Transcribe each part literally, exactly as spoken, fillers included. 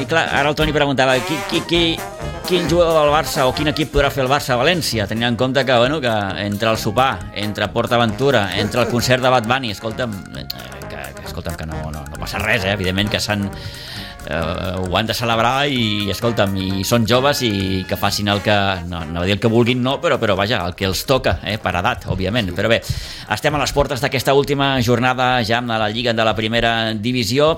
Ara el Toni preguntava qui, qui, qui, quin jugador del Barça o quin equip podrà fer el Barça a València, tenint en compte que, bueno, que entre el sopar, entre PortAventura, entre el concert de Bad Bunny, escolta'm, que, que, escolta'm, que no, no, no passa res, eh? Evidentment que s'han Uh, ho han de celebrar i, escolta'm, i són joves i que facin el que, no, no dir el que vulguin, no, però, però vaja, el que els toca, eh, per edat, òbviament. Però bé, estem a les portes d'aquesta última jornada ja amb la Lliga de la Primera Divisió.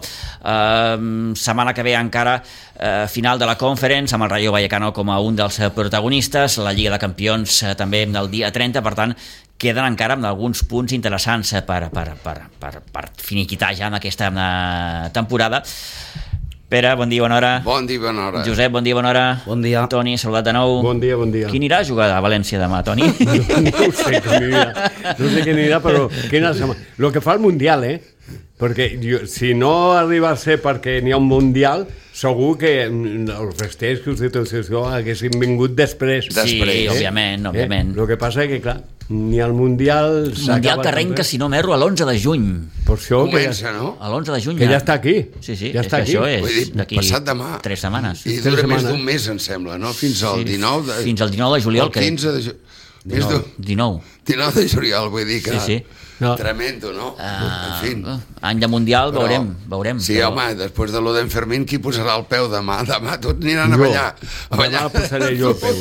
Uh, setmana que ve encara uh, final de la Conference, amb el Rayo Vallecano com a un dels protagonistes, la Lliga de Campions uh, també del dia trenta, per tant, queden encara amb alguns punts interessants per, per, per, per, per finiquitar ja en aquesta uh, temporada. Pere, bon dia, bona hora. Bon dia, bona hora. Josep, bon dia, bona hora. Bon dia. Toni, saludat de nou. Bon dia, bon dia. Qui anirà a jugar a València demà, Toni? No, no sé qui anirà, no sé qui anirà, però quina setmana. Lo que fa el Mundial, eh? Perquè jo, si no arriba a ser perquè n'hi ha un Mundial, segur que els festers que us dic això haguessin vingut després. Sí, després, eh? eh? òbviament, òbviament. Eh? El que passa és que, clar, ni al Mundial... Mundial que arrenca, si no m'erro, a l'onze de juny. Per això Comença, que, no? A l'onze de juny que ja. ja està aquí. Sí, sí, ja és està que aquí. això és Vull dir, d'aquí passat demà. tres setmanes. I Tres dura més setmanes. d'un mes, em sembla, no? Fins al Sí, dinou de... Fins al dinou de juliol, el crec. quinze de juliol. Més dinou. d'un... dinou. dinou de juliol, vull dir que... Sí, sí. No. Tremendo, no? Uh, en fi. Any de Mundial, Però- veurem, veurem. Sí, però... home, després de lo d'en Fermín, qui posarà el peu demà? Demà tots aniran a Jo. ballar. A ballar. Demà posaré jo el peu.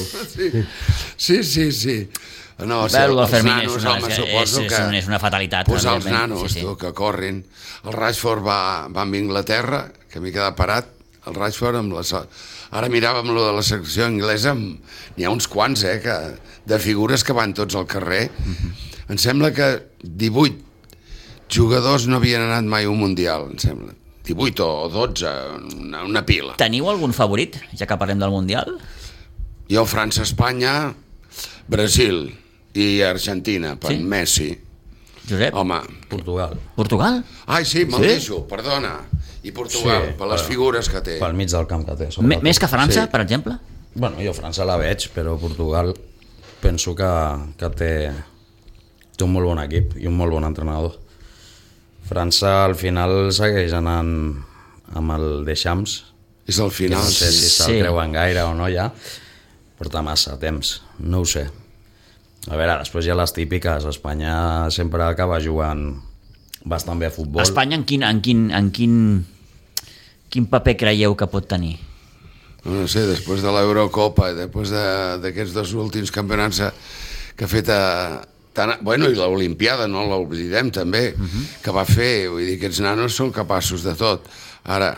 Sí, sí, sí. sí. No, Bé, el del els Fermín nanos, és una- home, és- suposo és que... una- és una fatalitat, Posar els evidentment. nanos, Sí, sí. tu, que corrin. El Rashford va, va amb Inglaterra, que m'he quedat parat, el Rashford amb la... Ara miràvem lo de la secció anglesa, n'hi ha uns quants, eh, que, de figures que van tots al carrer. Mm-hmm. Em sembla que divuit jugadors no havien anat mai a un Mundial, em sembla. divuit o dotze, una, una pila. Teniu algun favorit, ja que parlem del Mundial? Jo, França, Espanya, Brasil i Argentina, per Sí? Messi. Josep? Home, Portugal. Portugal? ai, sí, me'l Sí? deixo, perdona. I Portugal, Sí, per les però- figures que té. Pel mig del camp que té. M sobretot. més que França, Sí. per exemple? Bueno, jo França la veig, però Portugal penso que, que té, té un molt bon equip i un molt bon entrenador. França al final segueix anant amb el Deschamps, És al que final. no sé si se'l Sí. creuen gaire o no ja, porta massa temps, no ho sé. A veure, després hi ha les típiques, Espanya sempre acaba jugant bastant bé a futbol. Espanya en quin, en quin, en quin, quin paper creieu que pot tenir? No sé, després de l'Eurocopa i després de- d'aquests dos últims campionats que ha fet a, tan, bueno, i l'Olimpiada, no l'oblidem també, uh -huh. que va fer, vull dir, aquests nanos són capaços de tot. Ara,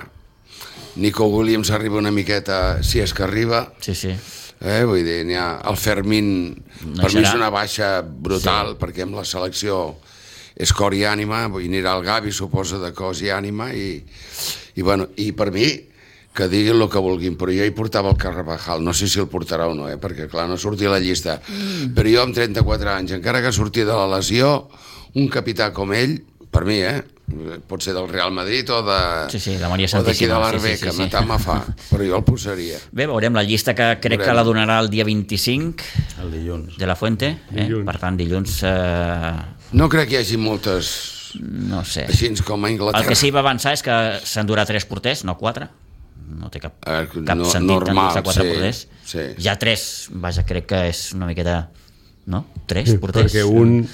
Nico Williams arriba una miqueta, si és que arriba, Sí, sí. eh, vull dir, n'hi ha, el Fermín, No per mi serà. és una baixa brutal, sí. perquè amb la selecció és cor i ànima, vull dir, anirà el Gavi, suposa, de cos i ànima, i, i, bueno, i per mi, que diguin el que vulguin, però jo hi portava el Carvajal, no sé si el portarà o no, eh? Perquè clar, no sortia a la llista, mm. però jo amb trenta-quatre anys, encara que sortia de la lesió, un capità com ell, per mi, eh? pot ser del Real Madrid o de, Sí, sí, la Maria o d'aquí de Santíssima, l'Arbeca, sí, sí, sí, sí. matar me fa, però jo el posaria. Bé, veurem la llista que crec Veurem. que la donarà el dia vint-i-cinc El dilluns. de la Fuente. Eh? Dilluns. Per tant, dilluns, eh, No crec que hi hagi moltes no sé. així com a Inglaterra. El que sí va avançar és que s'endurà tres porters, no quatre. No té cap, Eh, cap no- sentit normal, endur-se quatre sí, porters. sí. Ja tres, vaja, crec que és una miqueta... No? Tres Sí, porters. perquè un,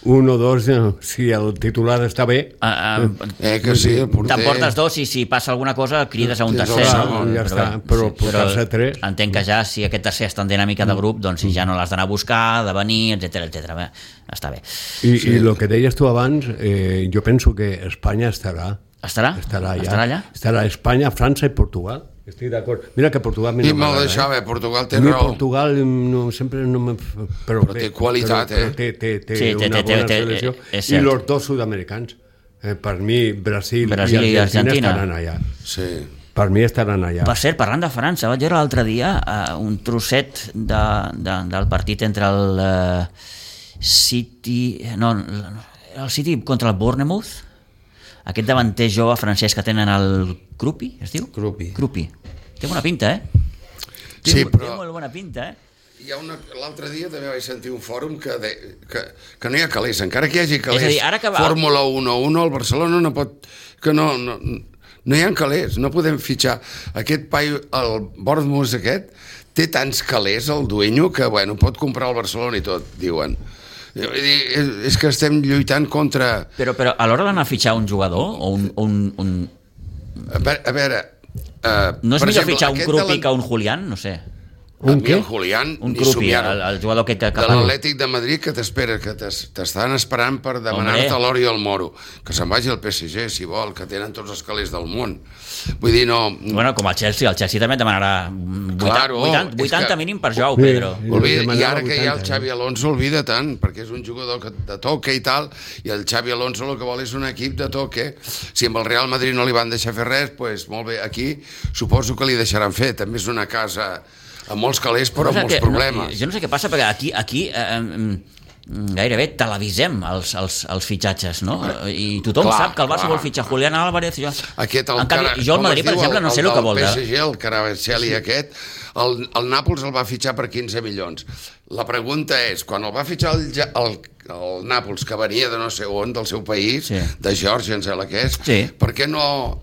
un o dos, eh, si el titular està bé, Ah, ah, Eh, que sí, el porter... T'emportes dos i si passa alguna cosa crides a un Tens el tercer, segon, no? ja està, però portar-se tres. Entenc que ja si aquest tercer està en dinàmica de grup, doncs si ja no l'has d'anar a buscar, de venir, etcètera, etcètera. Bé, està bé. i, sí. i el que deies tu abans, eh, jo penso que Espanya estarà. Estarà? Estarà, ja. Estarà allà? Estarà Espanya, França i Portugal. Estic d'acord. Mira que Portugal a mi I no me'l m'agrada, deixava, eh? eh? Portugal té A mi raó. Portugal no, sempre no me... Però, Però té qualitat, però, eh? Però té, té, té Sí, té- una té- bona té- selecció. és I cert. els dos sud-americans. Eh, per mi, Brasil, Brasil i i Argentina, Argentina. estaran allà. Sí. Per mi estaran allà. Per cert, parlant de França, vaig veure l'altre dia uh, un trosset de, de, del partit entre el uh, City... No, el City contra el Bournemouth, aquest davanter jove francès que tenen el Krupi, es diu? Krupi. Krupi. Té bona pinta, eh? Té, Sí, té però- molt bona pinta, eh? Hi ha una... L'altre dia també vaig sentir un fòrum que, de... que, que no hi ha calés, encara que hi hagi calés. És a dir, ara que va- Fórmula un a un, el Barcelona no pot... Que no, no, no hi ha calés, no podem fitxar. Aquest paio, el Bournemouth aquest, té tants calés, el dueño, que bueno, pot comprar el Barcelona i tot, diuen. És, és que estem lluitant contra... Però, però a l'hora d'anar a fitxar un jugador o un... un, un... A veure... A veure uh, No és per millor exemple, fitxar un aquest Krupi de la- que un Julián? No sé. Un a mi què? el Julián, Un ni Krupi, somiar-ho. el, el jugador aquest que... que De l'Atlètic de Madrid que t'espera, que t'es- t'estan esperant per demanar-te Hombre. l'or i el moro. Que se'n vagi al P S G, si vol, que tenen tots els calés del món. Vull dir, no... Bueno, com el Chelsea, el Chelsea també et demanarà vuitanta, Claro, vuitanta, és vuitanta que- mínim per Joao Sí. Pedro. Sí. Olvida, I demanava ara que hi ha el vuitanta, Xavi Alonso, olvida tant, perquè és un jugador que de toque i tal, i el Xavi Alonso el que vol és un equip de toque. Si amb el Real Madrid no li van deixar fer res, pues, molt bé, aquí suposo que li deixaran fer. També és una casa amb molts calés, però amb No sé molts què- problemes. No, jo no sé què passa, perquè aquí, aquí eh, eh, gairebé televisem els, els, els fitxatges, no? I tothom Clar, sap que el Barça clar. vol fitxar Julián Álvarez. Jo... Aquest, el en canvi, cara- jo al com Madrid, es per diu, exemple, no sé el, que vol. El De... P S G, el Caravelli aquest, el, el Nàpols el va fitxar per quinze milions. La pregunta és, quan el va fitxar el, Ja- el, el Nàpols, que venia de no sé on, del seu país, Sí. de Geòrgia, em sembla que és, Sí. per què no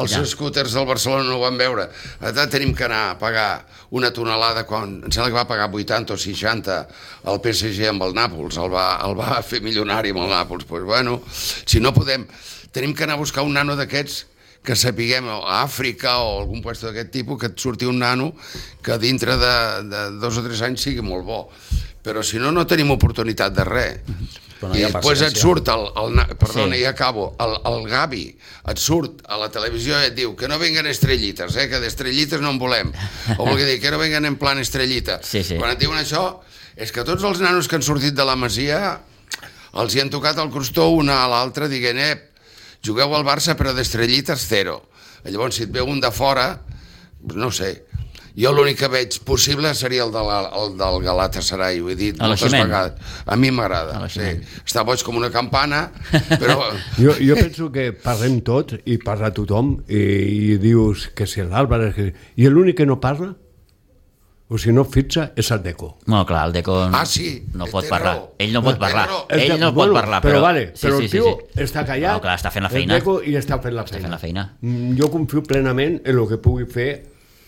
els Ja. scooters del Barcelona no ho van veure? Ara tenim que anar a pagar una tonelada, quan em sembla que va pagar vuitanta o seixanta al P S G amb el Nàpols, el va, el va fer milionari amb el Nàpols. Pues bueno, si no podem, tenim que anar a buscar un nano d'aquests que sapiguem a Àfrica o algun lloc d'aquest tipus, que et surti un nano que dintre de, de dos o tres anys sigui molt bo. Però si no, no tenim oportunitat de res. Però no hi I ha després et paciència. surt el, el na- perdona, Sí. ja acabo, el, el Gavi et surt a la televisió i et diu que no venguen estrellites, eh, que d'estrellites no en volem, o vol dir que no venguen en plan estrellita. Sí, sí. Quan et diuen això, és que tots els nanos que han sortit de la Masia els hi han tocat el crostó una a l'altra dient, eh, jugueu al Barça però d'estrellites zero. Llavors si et veu un de fora, no sé, jo l'únic que veig possible seria el, de la, el del Galatasaray, ho he dit A moltes l'Oiximent. vegades. A mi A m'agrada, sí. l'Oiximent. Està boig com una campana, però... Jo, jo penso que parlem tots i parla tothom i, i dius que si l'Àlvarez... Que... I l'únic que no parla, o si no fixa, és el Deco. No, clar, el Deco Ah, sí, no té pot parlar. raó. Ell no pot Té parlar. raó. Ell no pot parlar, però... però... vale, però el tio està callat, No, clar, està fent la feina. el Deco, i està fent la Està feina. fent la feina. Mm, Jo confio plenament en el que pugui fer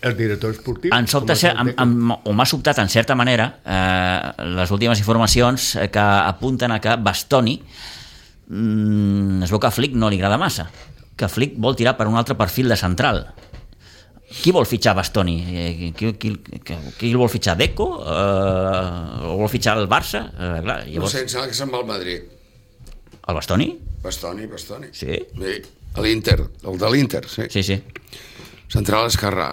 el director esportiu. Em sobta, com ser, el em, Deco. em, o m'ha sobtat en certa manera eh, les últimes informacions eh, que apunten a que Bastoni mm, es veu que a Flick no li agrada massa, que Flick vol tirar per un altre perfil de central. Qui vol fitxar Bastoni? Eh, Qui, qui, qui, qui el vol fitxar? Deco? Eh, o vol fitxar el Barça? Eh, clar, No llavors, sé, em sembla que se'n va al Madrid. el Bastoni? Bastoni, Bastoni. Sí? Sí, a l'Inter, el de l'Inter, sí. Sí, sí. Central esquerrà.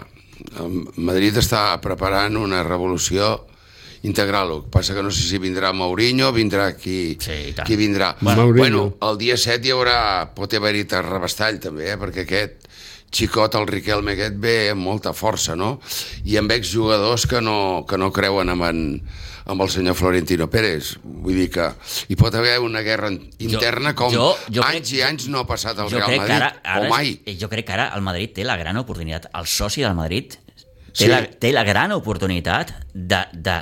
El Madrid està preparant una revolució integral. El que passa que no sé si vindrà Mourinho, vindrà qui, Sí, i tant. qui vindrà. Bueno, bueno, Mourinho. el dia set hi haurà, pot haver-hi terrabastall també, eh? Perquè aquest xicot, el Riquelme aquest, ve amb molta força, no? I amb exjugadors que no, que no creuen amb, en, amb el senyor Florentino Pérez. Vull dir que hi pot haver una guerra interna com jo- jo crec- anys i anys no ha passat al Jo Real crec, que Madrid, ara, ara, o mai. jo crec que ara el Madrid té la gran oportunitat, el soci del Madrid té, Sí. la, té la gran oportunitat de, de,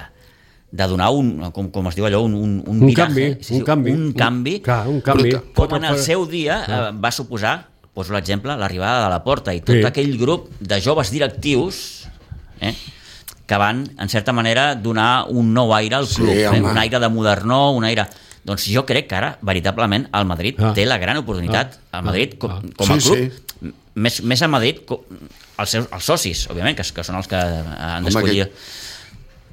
de donar un, com, com es diu allò, un, un, un, Un viraje, canvi, un canvi. un canvi, Un, clar, un canvi. Bruta. com Pot en el fora- seu dia eh, va suposar, poso l'exemple, l'arribada de la Porta i tot Sí. aquell grup de joves directius eh, que van, en certa manera, donar un nou aire al Sí, club, eh, home. un aire de modernó, un aire... Doncs jo crec que ara, veritablement, el Madrid Ah. té la gran oportunitat, Ah. el Madrid, com, Ah. com a Sí, club, més, més a Madrid, com, els, seus, els socis, òbviament, que, que són els que han Home, d'escollir. que-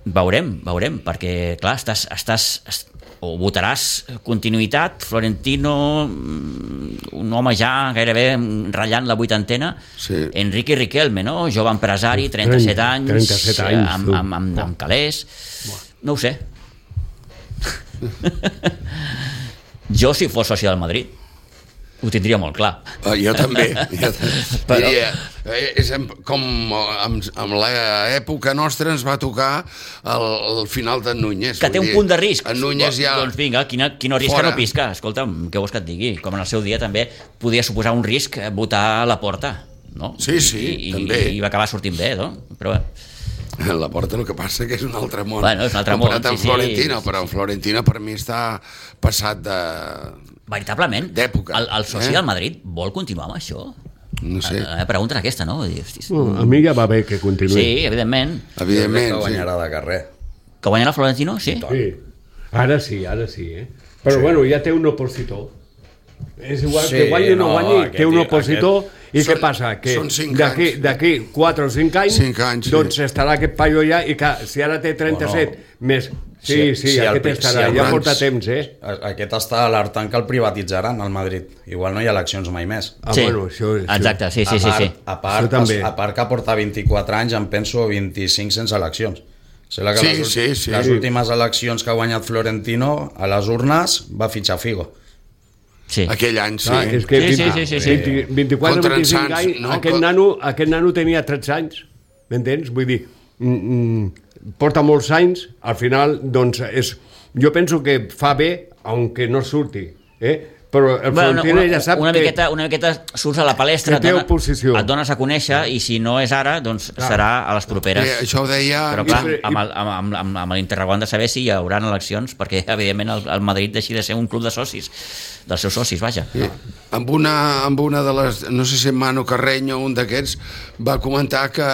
Veurem, veurem, perquè, clar, estàs, estàs, est- o votaràs continuïtat, Florentino, un home ja gairebé ratllant la vuitantena, sí. Enrique Riquelme, no? Jove empresari, trenta-set anys, trenta-set anys amb, amb, amb, amb calés, no ho sé. Jo, si fos soci del Madrid, ho tindria molt clar. Uh, jo també. Jo Però... diria, és com amb, amb l'època nostra ens va tocar el, el final d'en Núñez. Que té un punt de risc. En Núñez ja... Doncs vinga, quina, quina risca no pisca. Escolta'm, què vols que et digui? Com en el seu dia també podia suposar un risc votar a la Porta, no? Sí, sí, I, també. I, i va acabar sortint bé, no? Però... La Porta el que passa que és un altre món. Bueno, és un altre món, comparat amb sí, Florentino, sí. Però en Florentino per mi està passat de... Veritablement, d'època. El, el soci eh? del Madrid vol continuar amb això? No sé. La, la pregunta és aquesta, no? Hostis. Uh, a mi ja va bé que continuï. Sí, evidentment. Evidentment, que guanyarà sí. de carrer. Que guanyarà Florentino? Sí. Sí. Ara sí, ara sí, eh? Però sí. Bueno, ja té un opositor. És igual sí, que guanyi o no, no guanyi, té un opositor aquest... i són, què passa? Que d'aquí quatre o cinc anys, cinc anys doncs sí. estarà aquest paio ja i que si ara té trenta-set bueno, més... Sí, sí, sí, sí aquest el, estarà, si ja porta temps, eh? Aquest està alertant que el privatitzaran al Madrid. Igual no hi ha eleccions mai més. Ah, sí, bueno, això, això. Exacte, sí, sí, a part, sí, sí. A part, també. A part que porta vint-i-quatre anys, em penso vint-i-cinc sense eleccions. O sigui que sí, les, sí, sí. les últimes eleccions que ha guanyat Florentino, a les urnes va fitxar Figo. Sí. Aquell any, sí. Ah, és que sí, sí, sí, sí, sí. vint-i-quatre o vint-i-cinc anys, no? aquest, nano, aquest nano tenia tretze anys, m'entens? Vull dir, mm, mm, porta molts anys, al final, doncs, és, jo penso que fa bé, aunque no surti, eh? Però el bueno, Florentino una, ja sap una que... Miqueta, una miqueta surts a la palestra, que té dona, oposició. Et dones a conèixer i si no és ara, doncs clar. Serà a les properes. Eh, això ho deia... Però clar, amb, el, amb, amb, amb l'interrogant de saber si hi haurà eleccions, perquè evidentment el, el Madrid deixi de ser un club de socis, dels seus socis, vaja. Sí. Amb, una, amb una de les... No sé si Manu Carreño, un d'aquests, va comentar que,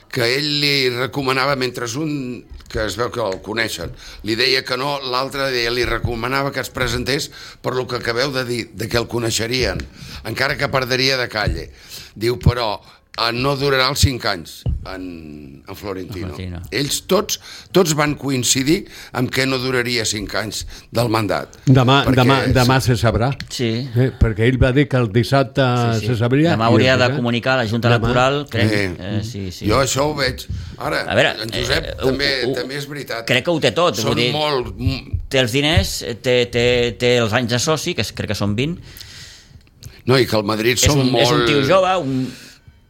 que ell li recomanava, mentre un que es veu que el coneixen, li deia que no, l'altre li recomanava que es presentés per lo que acabeu de dir, de que el coneixerien, encara que perdria de calle. Diu, però no durarà els cinc anys en, en Florentino. Florentino. Ells tots, tots van coincidir amb que no duraria cinc anys del mandat. Demà, demà, demà se sabrà. Sí. Eh, perquè ell va dir que el dissabte sí, sí. se sabria. Demà hauria de comunicar a la Junta Electoral. Crec, eh, eh, sí, sí. Jo això ho veig. Ara, a veure, en Josep eh, també, uh, uh, també és veritat. Crec que ho té tot. Són vull dir, molt... Té els diners, té, té, té els anys de soci, que crec que són vint. No, i que el Madrid és són un, molt... És un tio jove, un...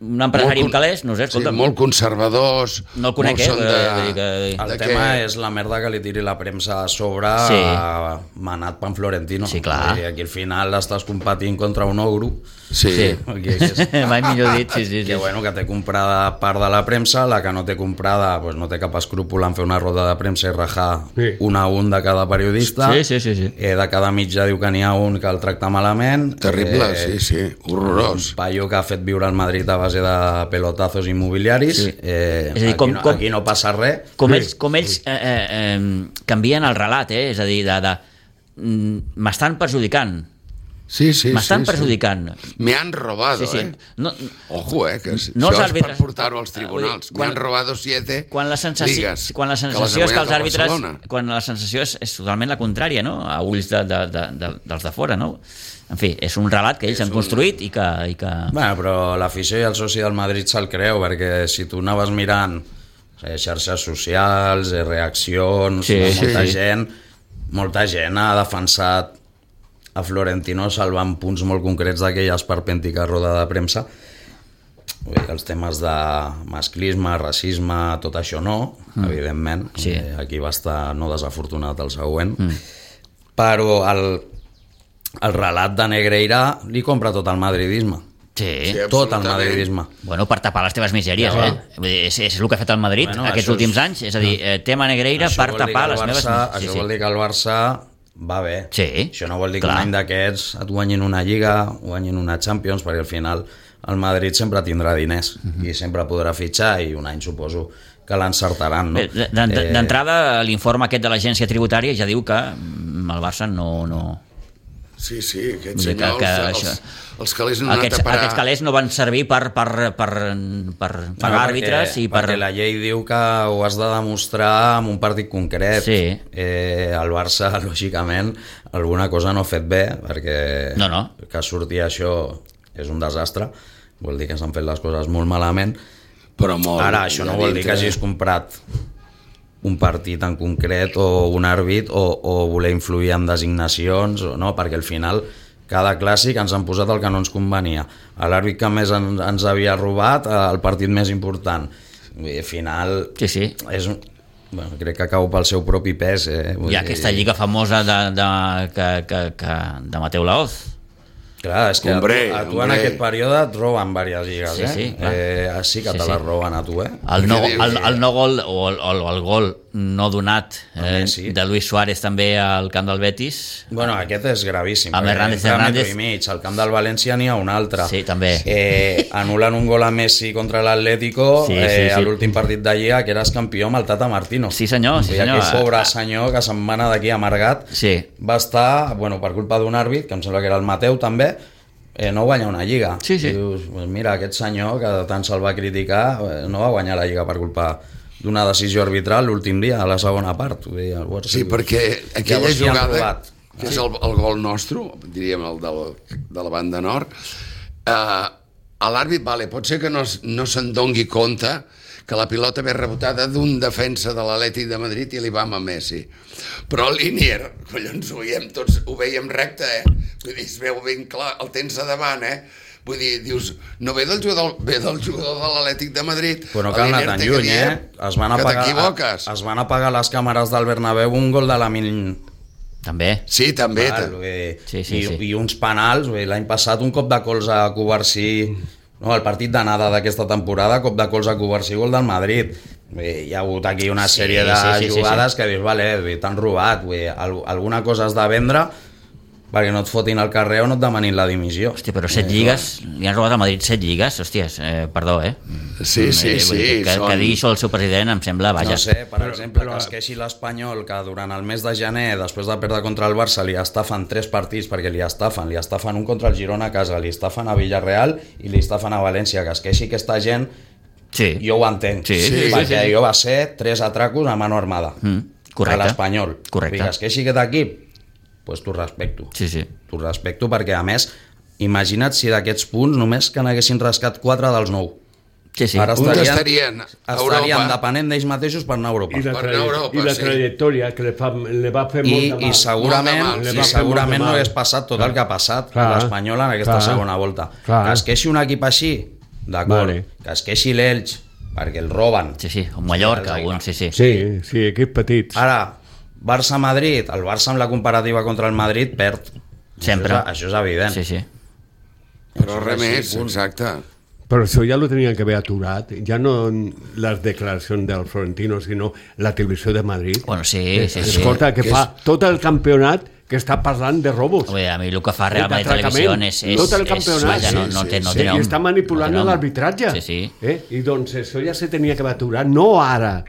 un empresari amb calés, no sé, escolta'm. Sí, molt conservadors. No el conec, eh? De, de, de, el de tema que... és la merda que li tiri la premsa a sobre sí. a manat pan Florentino. Sí, clar. I aquí al final estàs competint contra un ogro. Sí. sí. Que, que és... Mai millor dit, sí, sí. Que, sí. bueno, que té comprada part de la premsa, la que no té comprada pues, no té cap escrúpol en fer una roda de premsa i rajar sí. un a un de cada periodista. Sí, sí, sí. sí. Eh, de cada mitjà diu que n'hi ha un que el tracta malament. Terrible, eh, sí, sí. Horrorós. Un paio que ha fet viure al Madrid a base de pelotazos immobiliaris. Sí. Eh, és a dir, aquí, com, no, com, aquí no passa res. Com sí. ells, com ells eh, eh, eh, canvien el relat, eh? És a dir, de, de, m'estan perjudicant. Sí, sí, m'estan sí, perjudicant. Sí. Me han robado, sí, sí. eh? No, Ojo, eh, que no això és per portar-ho als tribunals. Quan, me han robado siete quan la sensació, ligas. Quan la sensació que és que els àrbitres... Quan la sensació és, és totalment la contrària, no? A ulls de, de, de, de, dels de fora, no? En fi, és un relat que ells és han construït un... i que... I que... Bueno, però l'afició i el soci del Madrid se'l creu, perquè si tu anaves mirant eh, xarxes socials, eh, reaccions, sí, molta sí. gent, molta gent ha defensat a Florentino salvant punts molt concrets d'aquella esperpèntica roda de premsa. Els temes de masclisme, racisme, tot això no, mm. evidentment. Sí. Aquí va estar no desafortunat el següent. Mm. Però el, el relat de Negreira li compra tot el madridisme. Sí, sí, tot el madridisme. Bueno, per tapar les teves misèries, ja, eh? És, és el que ha fet el Madrid bueno, aquests últims és... anys. És a dir, tema Negreira per tapar les meves misèries. Això sí, vol dir que el Barça va bé. Sí, això no vol dir clar. Que un any d'aquests et guanyin una Lliga, guanyin una Champions, perquè al final el Madrid sempre tindrà diners uh-huh. i sempre podrà fitxar i un any suposo que l'encertaran. No? D'entrada, l'informe aquest de l'agència tributària ja diu que el Barça no... no... Sí, sí, aquests Que- senyors, que els, això- els calés no han anat Aquests, a parar... aquests calés no van servir per, per, per, per pagar No, àrbitres i per... perquè la llei diu que ho has de demostrar en un partit concret. Sí. Eh, el Barça, lògicament, alguna cosa no ha fet bé, perquè No, no. que surti això és un desastre, vol dir que s'han fet les coses molt malament. Però molt... Ara, això no allà vol dir que dintre. hagis comprat un partit en concret o un àrbit o, o voler influir en designacions, o no, perquè al final cada clàssic ens han posat el que no ens convenia. L'àrbit que més en, ens havia robat, el partit més important. I al final Sí, sí. és, un- bueno, crec que cau pel seu propi pes. Eh? Vull Hi ha dir- aquesta lliga famosa de, de, que, que, que, de Mateu Laoz. Clar, és que Hombre, a tu, a tu en hombre. aquest període et roben diverses lligues, Sí, eh? sí, clar. eh? Sí que Sí, te sí. les roben a tu, eh? El no, Què dius? el, el no gol o el, el, el gol no donat eh, Messi. de Luis Suárez també al camp del Betis. Bueno, aquest és gravíssim. Amb perquè Hernández entra Hernández. metro i mig, al camp del València n'hi ha un altre. Sí, també. Eh, anulen un gol a Messi contra l'Atlético Sí, eh, sí, sí. a l'últim partit de Lliga, que eres campió amb el Tata Martino. Sí, senyor, sí, I senyor. aquell pobre senyor que se'n va anar d'aquí amargat Sí. va estar, bueno, per culpa d'un àrbit, que em sembla que era el Mateu també, eh, no guanya una Lliga. Sí, sí. I dius, pues mira, aquest senyor que tant se'l va criticar eh, no va guanyar la Lliga per culpa d'una decisió arbitral l'últim dia, a la segona part. Vull dir, el Barça- Sí, perquè aquella Llavors li han jugada, robat. que és el, el gol nostre, diríem el del, de la banda nord, eh, a l'àrbit, vale, pot ser que no, es- no se'n dongui compte que la pilota ve rebotada d'un defensa de l'Atlètic de Madrid i li va a Messi. Però el Linier, collons, ho veiem tots, ho veiem recte, eh? Vull dir, es veu ben clar, el tens a davant, eh? Vull dir, dius, no ve del jugador, ve del jugador de l'Atlètic de Madrid. Però no El cal anar Linier tan té lluny, que dir eh? Es van, que apagar, t'equivoques. es van apagar les càmeres del Bernabéu un gol de la Min... També. Sí, també. Val, ta- vull dir, Sí, sí, i, sí. i uns penals, vull dir, l'any passat un cop de colze a Covarsí, no, el partit d'anada d'aquesta temporada, cop de colze a Covarsí, gol del Madrid. Vull dir, hi ha hagut aquí una Sí, sèrie de sí, sí, sí, jugades sí. que dius, vale, vull dir, t'han robat, vull dir, al- alguna cosa has de vendre perquè no et fotin al carrer o no et demanin la dimissió. Hòstia, però set lligues, li han robat a Madrid set lligues, hòsties, eh, perdó, eh? Sí, sí, Eh, vull dir, sí. Que, són- que digui això el seu president em sembla, vaja. No sé, per Però- exemple, però- que es queixi l'Espanyol que durant el mes de gener, després de perdre contra el Barça, li estafen tres partits, perquè li estafen, li estafen un contra el Girona a casa, li estafen a Villarreal i li estafen a València, que es queixi aquesta gent, Sí, jo ho entenc, Sí, sí, perquè sí, sí. jo va ser tres atracos a mano armada, Mm, correcte. a l'Espanyol. Correcte. I que es queixi aquest equip, doncs pues t'ho respecto. sí, sí. T'ho respecto perquè, a més, imagina't si d'aquests punts només que n'haguessin rascat quatre dels nou. Sí, sí. Ara Un estarien, estarien a estarien Europa. depenent d'ells mateixos per anar a Europa. I la, Per traje- Europa, i la sí. trajectòria que li, fa, li va fer I, molt de i mal. segurament, Molt de mal, i sí. Li va fer segurament molt de no mal. hagués passat tot el que ha passat Clar, a l'Espanyol en aquesta clar, segona volta. clar. Que es queixi un equip així, d'acord. Vale. Que es queixi l'Elx, perquè el roben. Sí, sí, un Mallorca, Sí, un, sí, sí. Sí, sí, equips petits. Ara, Barça-Madrid, el Barça amb la comparativa contra el Madrid perd. Sempre. Això és, això és evident. Sí, sí. Però res Sí, més, punt. exacte. Però això ja lo tenien que haver aturat. Ja no les declaracions del Florentino, sinó la televisió de Madrid. Bueno, sí, sí, sí. Escolta, que Que fa tot el campionat que està parlant de robos. Ui, a mi el que fa Real Madrid d'atracament. Televisió és... és Tot el és- campionat. vaja, no, Sí, no sí, té, no sí. té I nom. està manipulant no té nom. l'arbitratge. Sí, sí. Eh? I doncs això ja se tenia que haver aturat. No ara.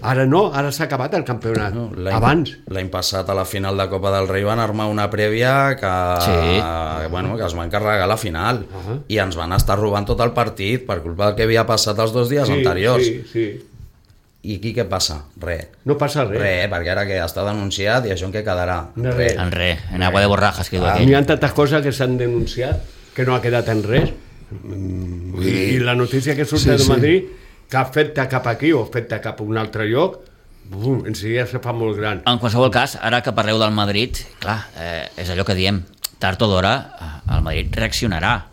Ara no, ara s'ha acabat el campionat. No, l'any- Abans. L'any passat a la final de Copa del Rei van armar una prèvia que, Sí. bueno, que es van carregar la final Uh -huh. i ens van estar robant tot el partit per culpa del que havia passat els dos dies Sí, anteriors. sí, sí. I aquí què passa? Res. No passa res. Res, perquè ara que està denunciat i això en què quedarà? No, res. En res, en agua de borrajas que diu Ah, aquell. N'hi ha tantes coses que s'han denunciat que no ha quedat en res. Vull I, dir- I la notícia que surt Sí, de sí. Madrid, que ha fet-te cap aquí o fet-te cap a un altre lloc, bum, en seguida se fa molt gran. En qualsevol cas, ara que parleu del Madrid, clar, eh, és allò que diem, tard o d'hora eh, el Madrid reaccionarà.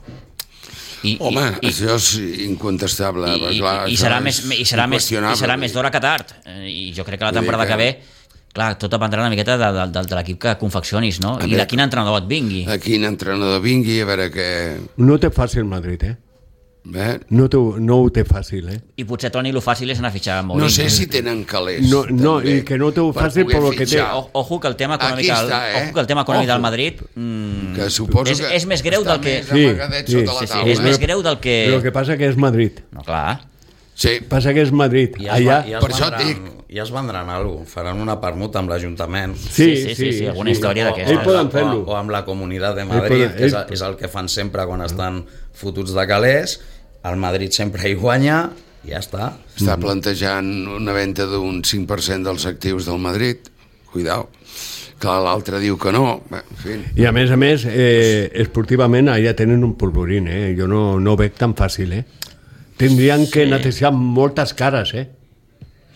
I, Home, i, i, això és incontestable. i, perquè, i, clar, i això serà és més, i serà més, i inqüestionable. serà més d'hora que tard. Eh, I jo crec que la Vull dir temporada que- que ve, clar, tot dependrà una miqueta de, de, de, de l'equip que confeccionis, no? A I veure, de quin entrenador et vingui. A quin entrenador vingui, a veure què... No té fàcil Madrid, eh? Eh? No, té, no ho té fàcil, eh? I potser, Toni, el fàcil és anar a fitxar Mourinho. No sé si tenen calés. No, no, també, i que no té-ho per fàcil poder per lo que té. fitxar. O, ojo que el tema econòmic, Aquí està, eh? ojo que el tema econòmic Ojo. del Madrid mm, Que suposo és, que és més greu està del que... més Sí, amagadet sí, sota sí, la sí, taula. és més greu del que... El que passa que és Madrid. No, clar. Sí, Passa que és Madrid. I es, Allà, va- i es per això et vendran, dic. ja es vendran alguna cosa, faran una permuta amb l'Ajuntament. Sí, sí, sí, sí, alguna història d'aquesta. Ells poden fer-lo. O, o amb la Comunitat de Madrid, poden, que és, ells... és el que fan sempre quan estan fotuts de calés. El Madrid sempre hi guanya, i ja està. Està plantejant una venda d'un cinc per cent dels actius del Madrid. Cuidao. Clar, l'altre diu que no. Bé, en fi. I a més a més, eh, esportivament allà tenen un polvorín, eh? Jo no, no ho veig tan fàcil, eh? Tindrien que Sí. netejar moltes cares, eh?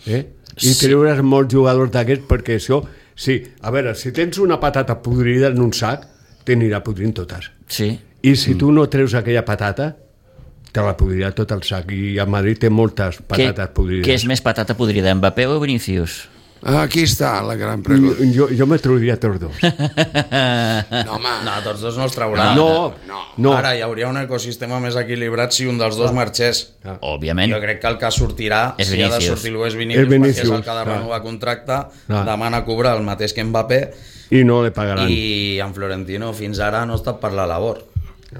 eh? I Sí. treure's molts jugadors d'aquests, perquè això... Sí, a veure, si tens una patata podrida en un sac, t'anirà podrint totes. Sí. I si tu no treus aquella patata, te la podrirà tot el sac. I a Madrid té moltes patates Què, podrides. què és més patata podrida, Mbappé o Vinícius? Aquí està la gran pregunta. Jo, jo me trauria tots dos. No, home. No, tots dos no els trauran. No, no. no. Ara hi hauria un ecosistema més equilibrat si un dels dos marxés. Òbviament. Jo crec que el que sortirà, És si ha de Vinícius. sortir l'U és Vinícius, És Vinícius, perquè és el que ha de clar. renovar contracte, Clar. demana cobrar el mateix que Mbappé, I no le pagaran. i en Florentino fins ara no ha estat per la labor. No,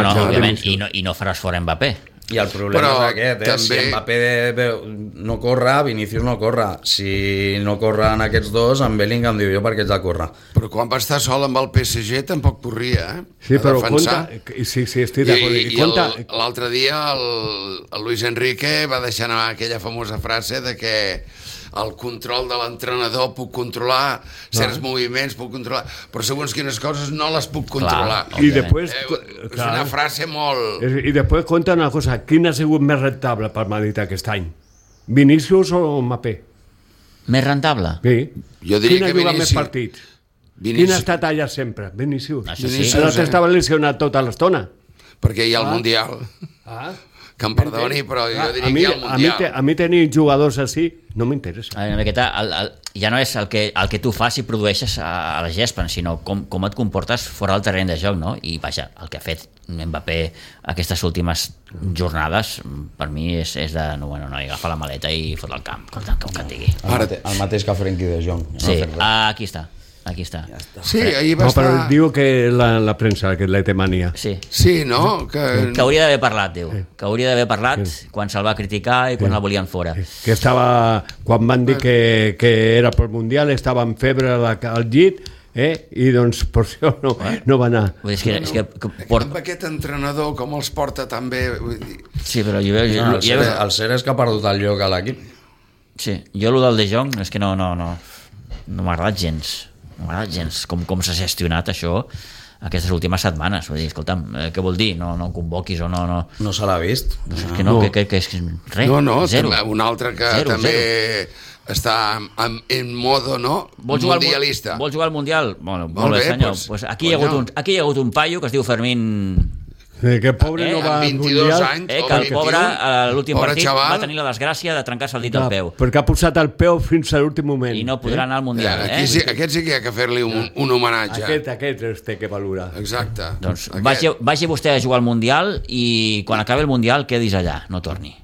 no, Marxarà òbviament, Vinícius. i no, i no faràs fora Mbappé. I el problema Però és aquest, eh? també- Si Mbappé veu- no corre, Vinícius no corre. Si no corren aquests dos, en Bellingham diu jo perquè ets de córrer. Però quan va estar sol amb el P S G tampoc corria, eh? Sí, A però defensar. compta... Sí, sí, estic I, d'acord. i, i compta... el- l'altre dia el, el Luis Enrique va deixar anar aquella famosa frase de que el control de l'entrenador puc controlar certs No. moviments, puc controlar, però segons quines coses no les puc controlar. Clar. I òbviament. després... Eh, és una frase molt... I després compta una cosa. Quin ha sigut més rentable per Madrid aquest any? Vinícius o Mbappé? Més rentable? Sí. Jo diria Quin ha que jugat més Vinícius. partits? Vinícius. Quin ha estat allà sempre? Vinícius. Això sí. Vinícius, L'altre eh? estava lesionat tota l'estona. Perquè hi ha el Mundial. Ah. Que em perdoni, però jo Ah, diria a mi, que hi ha el a mi, Mundial. te, a mi tenir jugadors així no m'interessa. A veure, aquesta, el, el, ja no és el que, el que tu fas i produeixes a, a la gespa, sinó com, com et comportes fora del terreny de joc, no? I vaja, el que ha fet Mbappé aquestes últimes jornades, per mi és, és de, no, bueno, no, agafa la maleta i fot al camp, com, com que et digui. El, mate, el mateix que Frenkie de Jong. No Sí, ha fet res. ah, aquí està, aquí està. Ja està. Sí, ahir va No, però estar... diu que la, la premsa, que la té mania. Sí, Sí, no? Que... que hauria d'haver parlat, diu, que hauria d'haver parlat quan se'l va criticar i quan el volien fora. Que estava, quan van dir que, que era pel Mundial, estava en febre al, al llit, eh? I doncs per això no, no va anar. Vull dir, és que, és que, que Amb port... aquest entrenador, com els porta tan bé... Vull dir... Sí, però jo, jo, No, el, jo, cert, jo, el cert és que ha perdut el lloc a l'equip. sí, jo el del De Jong és que no, no, no, no m'ha agradat gens, no m'ha agradat gens com, com s'ha gestionat això aquestes últimes setmanes. Vull dir, escolta'm, eh, què vol dir? No, no em convoquis o no... no... No se l'ha vist. No, és que no, No. que, que, que és res, No, no, zero. també, un altre que Zero, també zero. està en, en modo, no? Vol jugar, al, Mundialista. vol jugar al Mundial? Bueno, molt, Molt bé, bé, senyor. pues, Pues aquí, hi ha hagut un, aquí hi ha hagut un paio que es diu Fermín... Eh, que pobre Eh, no va amb al vint-i-dos Mundial. anys, Eh, o que el vint-i-un, pobre, a l'últim pobre partit, xaval. va tenir la desgràcia de trencar-se el dit Ah, al peu. perquè ha posat el peu fins a l'últim moment. I no podrà anar al Mundial, Aquí eh? sí, aquest sí que hi ha que fer-li un, un homenatge. Aquest, aquest es té que valorar. Exacte. Doncs Aquest. vagi, vagi vostè a jugar al Mundial i quan acabi el Mundial quedis allà, no torni.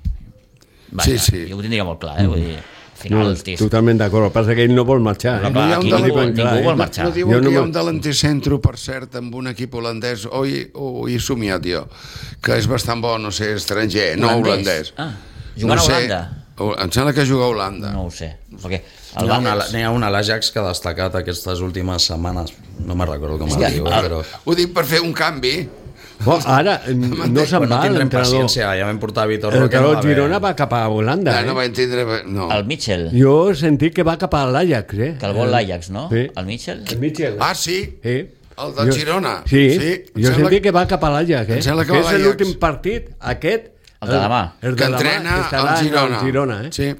Vaja, Sí, sí. Jo ho tindria molt clar, eh? Vull dir, al final, No, hosti, totalment d'acord. El que passa és que ell no vol marxar. No, Eh? clar, hi ha un aquí debat- ningú, ben clar, ningú eh? vol marxar. No diuen Jo no que hi ha me- un delanticentro, per cert, amb un equip holandès, o hi, o hi he somiat jo, que és bastant bo, no sé, estranger, no holandès. Ah, jugant no a sé, Holanda? o- Em sembla que juga a Holanda. No ho sé. Perquè el N'hi ha, una, Valls... n'hi ha un a l'Ajax que ha destacat aquestes últimes setmanes. No me'n recordo com es que diu, el- eh, però... Ho dic per fer un canvi. Bo, ara no se'n Però no va tindrem l'entrenador. paciència, ja vam portar Vitor El Roque. no entrenador va haver- Girona va cap a Holanda. Ah, no va Eh? entendre... No. El Mitchell, Jo he sentit que va cap a l'Ajax. Eh? que el vol l'Ajax, no? Sí. El Mitchell? El Mitchell. Ah, sí? Sí. El del Girona? Sí, Sí, sí. em jo he sembla sentit que va cap a l'Ajax. Eh? em sembla que que va a és l'Ajax. l'últim partit, aquest... El de demà. El Que de demà, entrena que estarà al en Girona. el Girona eh? Sí.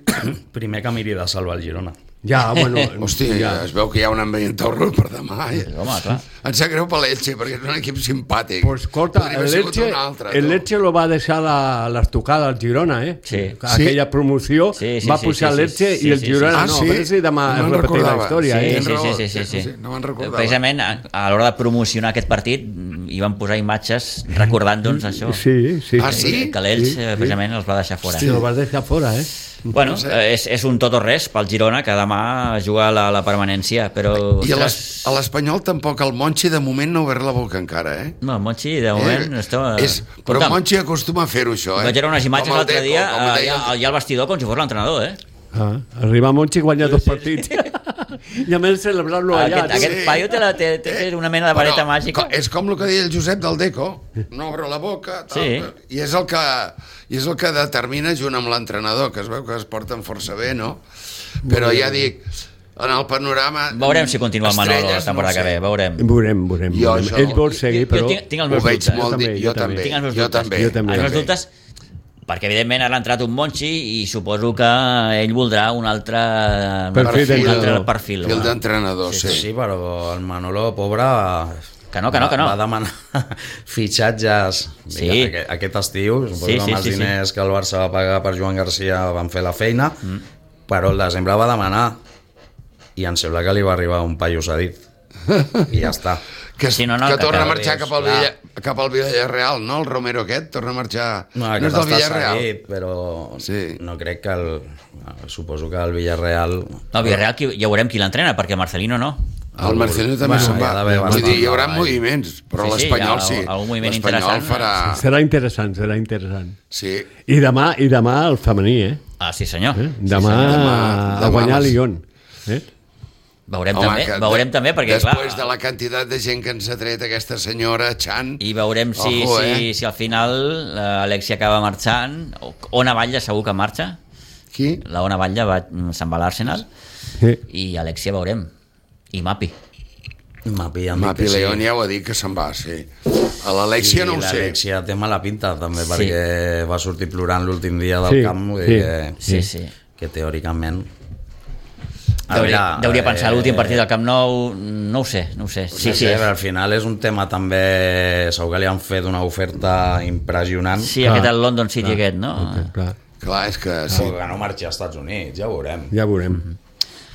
Primer que miri de salvar el Girona. Ja, bueno... Hòstia, ja. es veu que hi ha un ambient torro per demà. Eh? Home, clar. Em sap greu per l'Elche, perquè és un equip simpàtic. Pues escolta, Podria haver sigut l'Elche un altre, el tu. Lecce lo va deixar la- l'estocada al Girona, eh? Sí. Aquella promoció Sí, sí, va sí, pujar sí, l'Elche sí, i el sí, Girona Ah, no. sí? A veure si demà No es me'n repetirà la recordava. història, Sí, eh? tens sí, raó. sí, sí, sí, sí. No me'n recordava. Precisament a, a l'hora de promocionar aquest partit hi van posar imatges recordant-nos això. Sí, sí. Ah, sí? Que l'Elx Sí, sí. precisament els va deixar fora. Sí, lo vas deixar fora, eh? Bueno, eh, és, és un tot o res pel Girona, que demà juga la, la permanència, però... I a l'es- ostres, a l'Espanyol tampoc, el Monchi de moment no ha obert la boca encara, eh? no, el Monchi, de moment, eh? està... és, però el Monchi acostuma a fer-ho, això, eh? Doncs vaig veure unes imatges Com el l'altre Deco, dia, com eh, deia ja, el- ja al vestidor, com si fos l'entrenador, eh? Ah, arribar a Montxi i guanyar dos partits. I a més celebrar-lo allà. Aquest, aquest Sí. paio té, la, té, té una mena de vareta Bueno, màgica. co- És com el que deia el Josep del Deco, no obre la boca, tal, Sí. i és el que i és el que determina junt amb l'entrenador, que es veu que es porten força bé, no? Però ja dic, en el panorama... Veurem si continua el Manolo la estrelles, temporada no que ve, veurem. Veurem, veurem. Jo veurem. això- Ell vol seguir, Jo però... tinc, tinc els Ho meus veig dubtes. molt, Jo di- també, jo jo també. també, Tinc els meus jo dubtes. també. Jo també. Els meus també. dubtes, perquè evidentment ara ha entrat un Monchi i suposo que ell voldrà un altre Perfil un altre d'entrenador. perfil. Fil home. d'entrenador, Sí, sí. sí, però el Manolo, pobre... Que no, que no, que no. Va, va demanar fitxatges Sí. sí. aquest, aquest estiu, suposo Sí, que sí, amb els sí, sí. diners que el Barça va pagar per Joan Garcia van fer la feina, mm. però el desembre va demanar i em sembla que li va arribar un paio cedit i ja està. Que, Sí, no, no, que que torna a cada marxar vegada cap al, és, Villa, cap al Villarreal, no? El Romero aquest torna a marxar... No, No, aquest és del està Villarreal? cedit, però Sí. no crec que el... Suposo que el Villarreal... No, el Villarreal qui, ja veurem qui l'entrena, perquè Marcelino no. El Marcelino també Bueno, se'n hi ha va. d'haver Vull dir, bastant hi haurà treball. moviments, però Sí, sí, l'Espanyol hi ha sí. algun moviment L'Espanyol interessant. farà... Serà interessant, serà interessant. Sí. I demà, i demà el femení, eh? Ah, sí senyor. eh? Demà, senyor. sí, Demà- a demà guanyar les- Lyon. Eh? Veurem Home, també, que veurem de- també, perquè Després clar... de la quantitat de gent que ens ha tret aquesta senyora, Chan... I veurem si, Ojo, si, eh? si al final l'Alexia acaba marxant, o Ona Batlle segur que marxa, Qui? la Ona Batlle va, se'n va a l'Arsenal, Sí. i Alexia veurem, i Mapi. Mapi, ja em dic Mapi que sí. León ja ho ha dit que se'n va, sí. A l'Alexia no ho sé. L'Alexia té mala pinta també, Sí. perquè va sortir plorant l'últim dia del Sí, camp, vull sí. dir que, Sí, sí. que teòricament... A Deuria, veure, deuria pensar eh, l'últim partit del Camp Nou, no ho sé, no ho sé. Sí, Sí, sí, sí, però al final és un tema també... Segur que li han fet una oferta impressionant. sí, Clar, aquest el London City clar, aquest, no? Clar, Clar, és que sí. Sí. Que no marxi als Estats Units, ja ho veurem. ja veurem.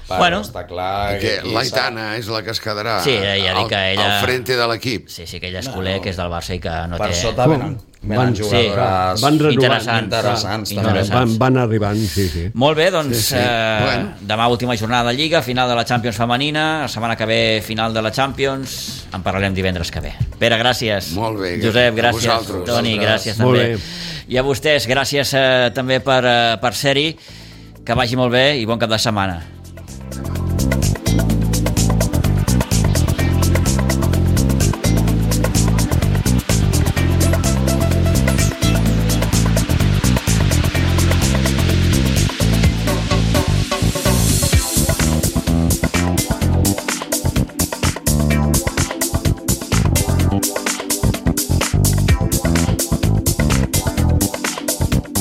Però Bueno. està clar Que aquí l'Aitana és la que es quedarà Sí, ja dic al, que ella- al frente de l'equip. Sí, sí, que ella és culer, que és del Barça i que no per té... sota venen, venen Van- jugadores van renovant. Interessants. interessants, Sí, també. interessants. Van, van arribant, sí, sí. Molt bé, doncs Sí, sí. Eh, Bueno. demà última jornada de Lliga, final de la Champions femenina, la setmana que ve final de la Champions, en parlarem divendres que ve. Pere, gràcies. Molt bé, Josep, a gràcies. vosaltres. Toni, Vosaltres. gràcies Molt també. bé. I a vostès, gràcies eh, també per, eh, per ser-hi, que vagi molt bé i bon cap de setmana.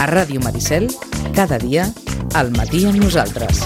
A Ràdio Maricel, cada dia, al matí amb nosaltres.